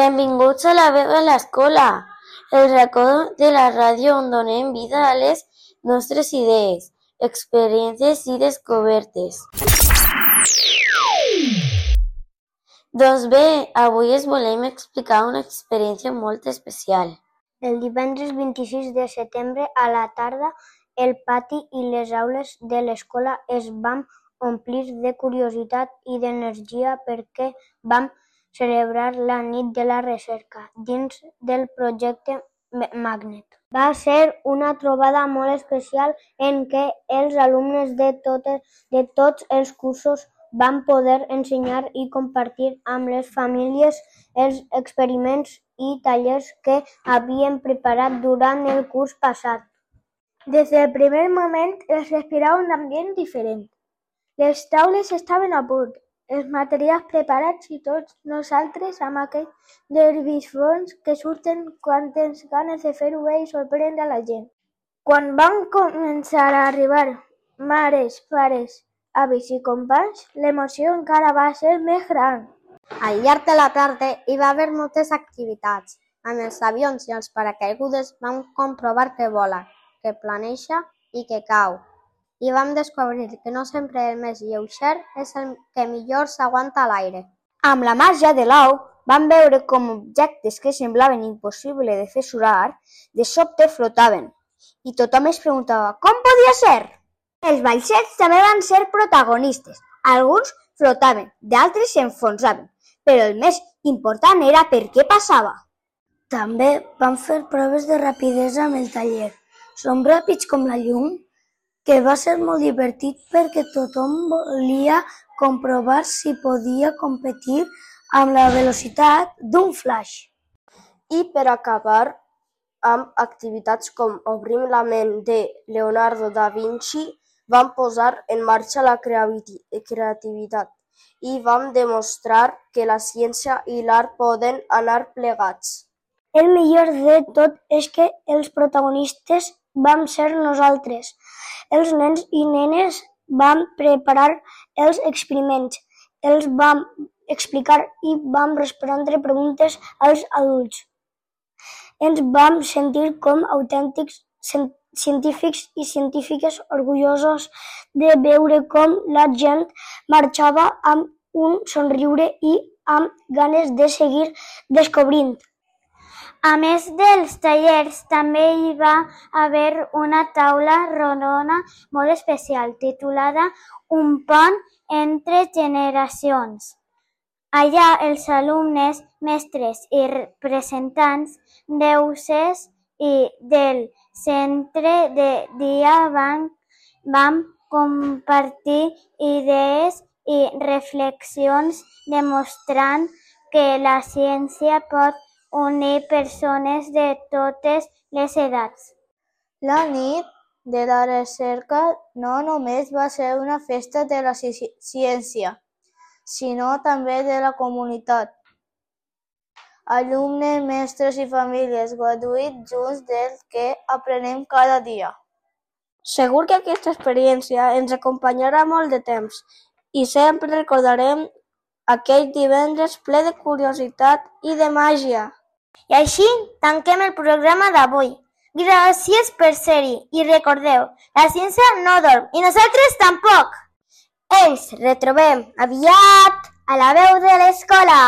Benvinguts a La Veu a l'Escola, el racó de la ràdio on donem vida a les nostres idees, experiències i descobertes. Doncs bé, avui us volem explicar una experiència molt especial. El divendres 26 de setembre a la tarda, el pati i les aules de l'escola es van omplir de curiositat i d'energia perquè vam celebrar la nit de la recerca dins del projecte Magnet. Va ser una trobada molt especial en què els alumnes de tots els cursos van poder ensenyar i compartir amb les famílies els experiments i tallers que havien preparat durant el curs passat. Des del primer moment es respirava un ambient diferent. Les taules estaven a punt, els materials preparats i tots nosaltres amb aquell nerviosisme que surten quan tens ganes de fer-ho bé i sorprendre a la gent. Quan van començar a arribar mares, pares, avis i companys, l'emoció encara va ser més gran. Al llarg de la tarda hi va haver moltes activitats. Amb els avions i els paracaigudes vam comprovar que vola, que planeja i que cau. I vam descobrir que no sempre el més lleuger és el que millor s'aguanta a l'aire. Amb la màgia de l'au, vam veure com objectes que semblaven impossibles de fer surar, de sobte flotaven. I tothom es preguntava com podia ser? Els vaixells també van ser protagonistes. Alguns flotaven, d'altres s'enfonsaven, però el més important era per què passava. També vam fer proves de rapidesa amb el taller. Som ràpids com la llum, que va ser molt divertit perquè tothom volia comprovar si podia competir amb la velocitat d'un flash. I per acabar amb activitats com Obrim la ment de Leonardo da Vinci, vam posar en marxa la creativitat i vam demostrar que la ciència i l'art poden anar plegats. El millor de tot és que els protagonistes vam ser nosaltres. Els nens i nenes vam preparar els experiments, els vam explicar i vam respondre preguntes als adults. Ens vam sentir com autèntics científics i científiques orgullosos de veure com la gent marxava amb un somriure i amb ganes de seguir descobrint. A més dels tallers, també hi va haver una taula rodona molt especial titulada Un pont entre generacions. Allà els alumnes, mestres i representants d'UCES i del centre de dia vam compartir idees i reflexions demostrant que la ciència pot unir persones de totes les edats. La nit de la recerca no només va ser una festa de la ciència, sinó també de la comunitat. Alumnes, mestres i famílies gaudint junts del que aprenem cada dia. Segur que aquesta experiència ens acompanyarà molt de temps i sempre recordarem aquell divendres ple de curiositat i de màgia. I així tanquem el programa d'avui. Gràcies per ser-hi i recordeu, la ciència no dorm i nosaltres tampoc. Ens retrobem aviat a La Veu de l'Escola.